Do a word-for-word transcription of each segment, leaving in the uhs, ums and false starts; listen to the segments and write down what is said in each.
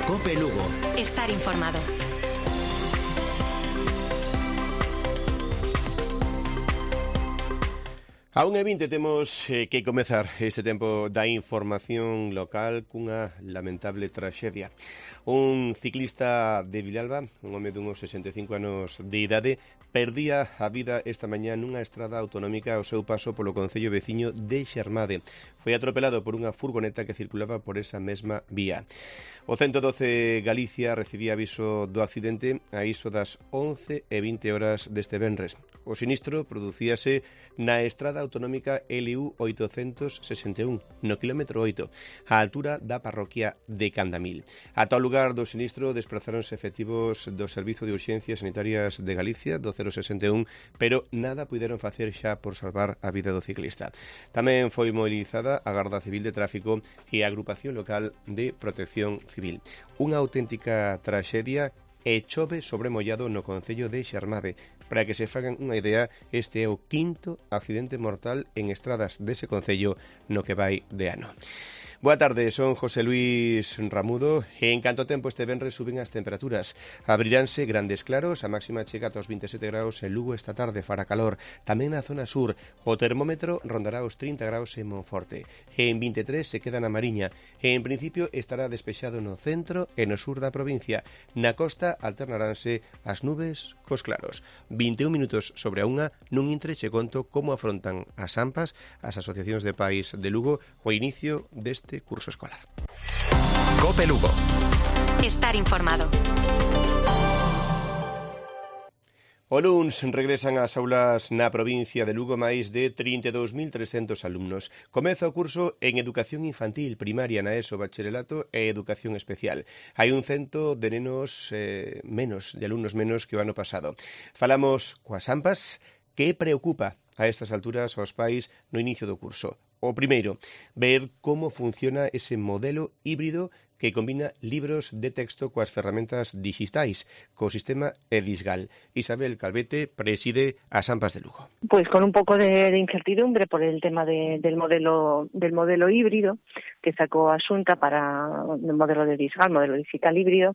COPE Lugo. Estar informado. A unha e vinte temos eh, que comezar este tempo da información local cunha lamentable traxedia. Un ciclista de Vilalba, un home dunhos sesenta e cinco anos de idade, perdía a vida esta mañá nunha estrada autonómica ao seu paso polo concello veciño de Xermade. Foi atropelado por unha furgoneta que circulaba por esa mesma vía. O ciento doce Galicia recibía aviso do accidente a iso das once e vinte horas deste venres. O sinistro producíase na estrada autonómica L U oitocentos sesenta e un, no quilómetro oito, á altura da parroquia de Candamil. Ata o lugar do sinistro desplazáronse efectivos do Servizo de Urxencias Sanitarias de Galicia, do cero sesenta e un, pero nada puideron facer xa por salvar a vida do ciclista. Tamén foi mobilizada a Garda Civil de Tráfico e a Agrupación Local de Protección Civil. Unha auténtica traxedia e chove sobremollado no concello de Xermade. Para que se fagan unha idea, este é o quinto accidente mortal en estradas dese concello no que vai de ano. Boa tarde, son José Luis Ramudo e en canto tempo este venres suben as temperaturas. Abriránse grandes claros, a máxima chega ata os vinte e sete graus en Lugo esta tarde, fará calor. Tamén na zona sur, o termómetro rondará os trinta graus en Monforte. E en vinte e tres se queda na Mariña. E en principio estará despexado no centro e no sur da provincia. Na costa alternaranse as nubes cos claros. vinte e un minutos sobre a unha, nun intre che conto como afrontan as AMPAs, as asociacións de pais de Lugo, o inicio deste curso escolar. COPE Lugo. Estar informado. O luns regresan ás aulas na provincia de Lugo máis de trinta e dous mil trescentos alumnos. Comeza o curso en Educación Infantil, Primaria, na ESO, Bacharelato e Educación Especial. Hai un cento de nenos eh, menos, de alumnos menos que o ano pasado. Falamos coas AMPAs. Que preocupa a estas alturas aos pais no inicio do curso? O primeiro, ver como funciona ese modelo híbrido que combina libros de texto coas ferramentas digitais, co sistema Edisgal. Isabel Calvete preside as AMPAs de Lugo. Pues con un pouco de, de incertidumbre por el tema de, del modelo del modelo híbrido que sacou a Xunta para el modelo de Edisgal, modelo digital híbrido.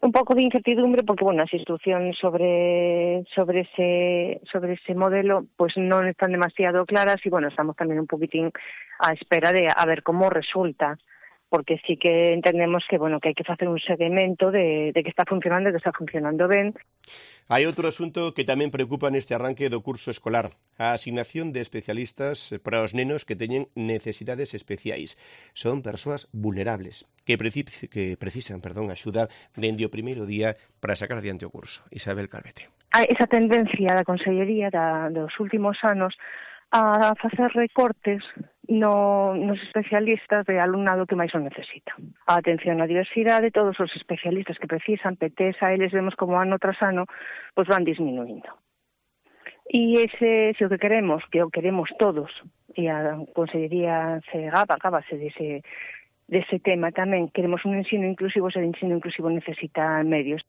Un pouco de incertidumbre porque, bueno, as instruccións sobre sobre ese sobre ese modelo pues non están demasiado claras e, bueno, estamos tamén un poquitín á espera de a ver como resulta, porque sí que entendemos que, bueno, que hai que facer un seguimento de, de que está funcionando, que está funcionando ben. Hai outro asunto que tamén preocupa neste arranque do curso escolar, a asignación de especialistas para os nenos que teñen necesidades especiais. Son persoas vulnerables que, precis que precisan perdón, axuda dende o primeiro día para sacar adiante o curso. Isabel Calvete. Hai esa tendencia da Consellería da, dos últimos anos a facer recortes no, nos especialistas de alumnado que máis o necesita. A atención á diversidade, todos os especialistas que precisan, P T S, a eles vemos como ano tras ano, pues van disminuindo. E ese, se o que queremos, que o queremos todos, e a Consellería se gaba, gábase dese, dese tema tamén, queremos un ensino inclusivo, ese ensino inclusivo necesita medios.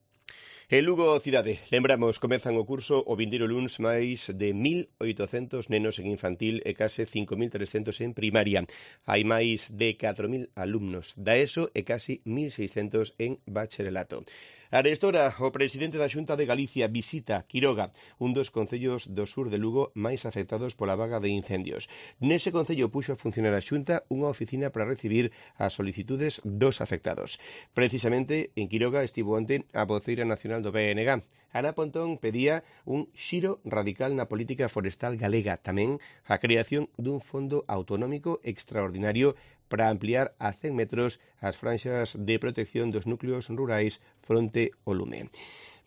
En Lugo cidade, lembramos, comezan o curso o vindeiro luns máis de mil oitocentos nenos en infantil e case cinco mil trescentos en primaria. Hai máis de catro mil alumnos da ESO e casi mil seiscentos en bacharelato. Arestora, o presidente da Xunta de Galicia visita Quiroga, un dos concellos do sur de Lugo máis afectados pola vaga de incendios. Nese concello puxo a funcionar a Xunta unha oficina para recibir as solicitudes dos afectados. Precisamente, en Quiroga estivo onte a voceira nacional do B N G. Ana Pontón pedía un xiro radical na política forestal galega, tamén a creación dun fondo autonómico extraordinario para ampliar a cen metros as franxas de protección dos núcleos rurais fronte ao lume.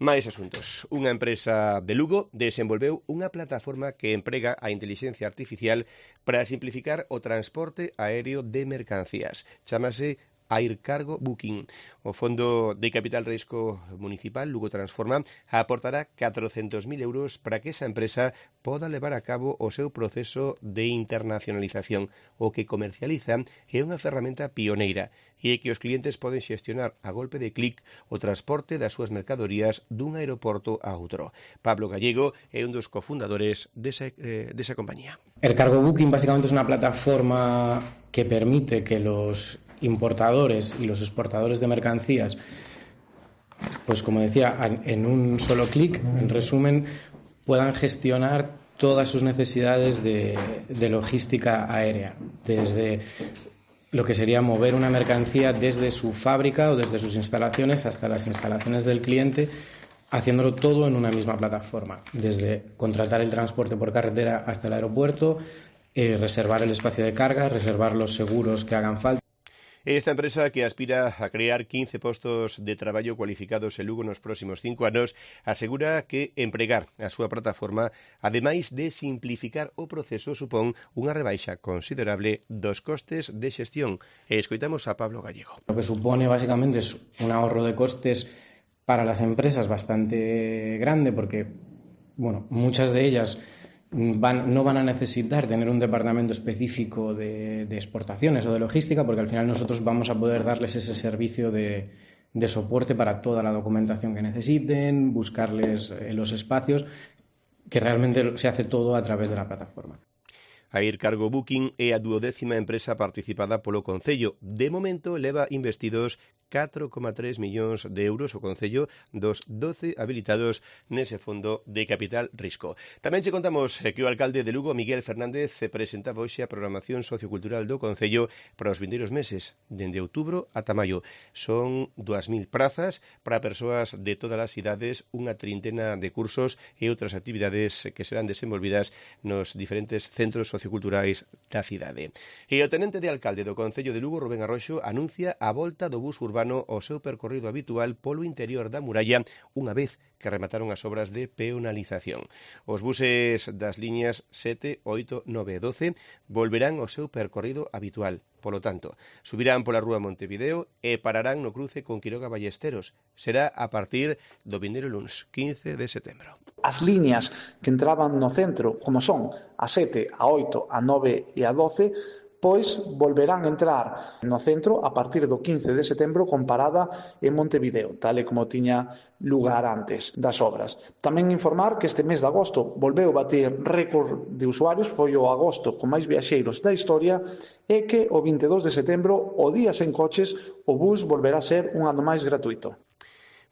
Mais asuntos. Unha empresa de Lugo desenvolveu unha plataforma que emprega a inteligencia artificial para simplificar o transporte aéreo de mercancías. Chámase Air Cargo Booking. O Fondo de Capital Risco Municipal Lugo Transforma aportará catrocentos mil euros para que esa empresa poda levar a cabo o seu proceso de internacionalización. O que comercializa é unha ferramenta pioneira e é que os clientes poden xestionar a golpe de clic o transporte das súas mercadorías dun aeroporto a outro. Pablo Gallego é un dos cofundadores desa, eh, desa compañía. Air Cargo Booking básicamente es una plataforma que permite que los importadores y los exportadores de mercancías, pues como decía, en un solo clic, en resumen, puedan gestionar todas sus necesidades de, de logística aérea, desde lo que sería mover una mercancía desde su fábrica o desde sus instalaciones hasta las instalaciones del cliente, haciéndolo todo en una misma plataforma, desde contratar el transporte por carretera hasta el aeropuerto, eh, reservar el espacio de carga, reservar los seguros que hagan falta. Esta empresa, que aspira a crear quince postos de traballo cualificados en Lugo nos próximos cinco anos, asegura que empregar a súa plataforma, ademais de simplificar o proceso, supón unha rebaixa considerable dos costes de xestión. E escoitamos a Pablo Gallego. Lo que supone básicamente es un ahorro de costes para las empresas bastante grande, porque bueno, muchas de ellas Van, no van a necesitar tener un departamento específico de, de exportaciones o de logística, porque al final nosotros vamos a poder darles ese servicio de, de soporte para toda la documentación que necesiten, buscarles eh, los espacios, que realmente se hace todo a través de la plataforma. A Air Cargo Booking é a duodécima empresa participada polo Concello. De momento leva investidos catro coma tres millóns de euros o Concello dos doce habilitados nese fondo de capital risco. Tamén che contamos que o alcalde de Lugo, Miguel Fernández, presentaba hoxe a programación sociocultural do Concello para os vindeiros meses, dende outubro ata maio. Son dúas mil prazas para persoas de todas as idades, unha trintena de cursos e outras actividades que serán desenvolvidas nos diferentes centros socioculturais da cidade. E o tenente de alcalde do Concello de Lugo, Rubén Arroxo, anuncia a volta do bus urbano ao seu percorrido habitual polo interior da muralla unha vez que remataron as obras de peonalización. Os buses das liñas sete, oito, nove e doce volverán ao seu percorrido habitual. Polo tanto, subirán pola rúa Montevideo e pararán no cruce con Quiroga Ballesteros. Será a partir do vindeiro luns, quince de setembro. As liñas que entraban no centro, como son a sete, a oito, a nove e a doce, pois volverán a entrar no centro a partir do quince de setembro con parada en Montevideo, tal e como tiña lugar antes das obras. Tamén informar que este mes de agosto volveu bater récord de usuarios, foi o agosto con máis viaxeiros da historia, e que o vinte e dous de setembro, o día sen coches, o bus volverá a ser un ano máis gratuito.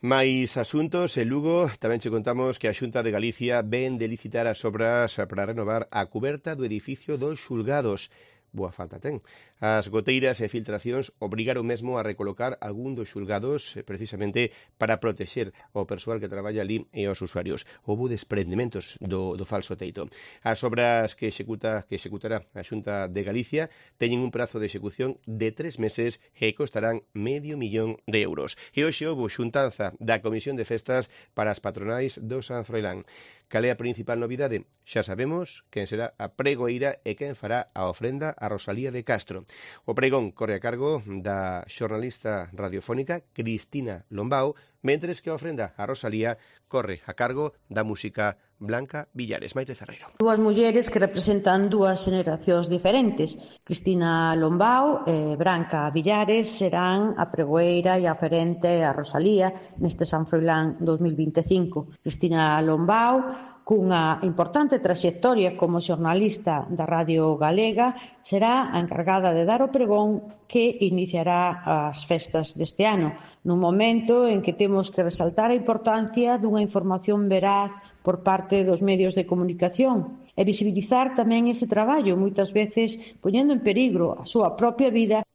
Mais asuntos, en Lugo tamén che contamos que a Xunta de Galicia ven de licitar as obras para renovar a cuberta do edificio dos xulgados. Boa falta ten. As goteiras e filtracións obrigaron mesmo a recolocar algún dos xulgados precisamente para protexer o persoal que traballa ali e os usuarios. Houbo desprendimentos do, do falso teito. As obras que executa que executará a Xunta de Galicia teñen un prazo de execución de tres meses e costarán medio millón de euros. E hoxe houbo xuntanza da Comisión de Festas para as patronais do San Froilán. Cal é a principal novidade? Xa sabemos quen será a pregoeira e quen fará a ofrenda a Rosalía de Castro. O pregón corre a cargo da xornalista radiofónica Cristina Lombao, mentres que a ofrenda a Rosalía corre a cargo da música Blanca Villares. Maite Ferreiro. Dúas mulleres que representan dúas xeracións diferentes. Cristina Lombao e Branca Villares serán a pregoeira e a oferente a Rosalía neste San Froilán dos mil vinte e cinco. Cristina Lombao, cunha importante traxectoria como xornalista da Radio Galega, será a encargada de dar o pregón que iniciará as festas deste ano, nun momento en que temos que resaltar a importancia dunha información veraz por parte dos medios de comunicación e visibilizar tamén ese traballo, moitas veces poñendo en perigo a súa propia vida.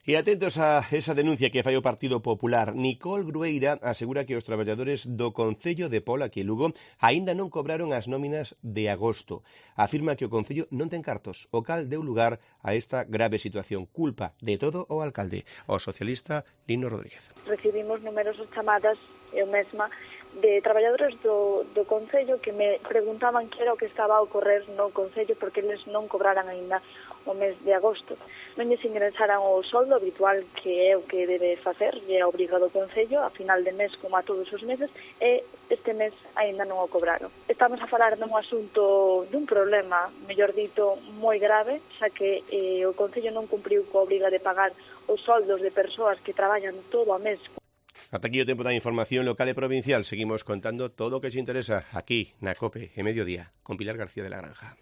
E atentos a esa denuncia que fai o Partido Popular. Nicole Grueira asegura que os traballadores do Concello de Pola, aquí en Lugo, aínda non cobraron as nóminas de agosto. Afirma que o Concello non ten cartos, o cal deu lugar a esta grave situación. Culpa de todo o alcalde, o socialista Lino Rodríguez. Recibimos numerosas chamadas, eu mesma, de traballadores do, do Concello que me preguntaban que era o que estaba a ocorrer no Concello porque eles non cobraran aínda o mes de agosto. Non lles ingresaran o soldo habitual que é o que debe facer, e é obrigado o Concello a final de mes como a todos os meses, e este mes aínda non o cobraron. Estamos a falar dun asunto, dun problema, mellor dito, moi grave, xa que eh, o Concello non cumpriu coa obriga de pagar os soldos de persoas que traballan todo o mes. Ata aquí o tempo da información local e provincial. Seguimos contando todo o que te interesa aquí na COPE e Mediodía con Pilar García de la Granja.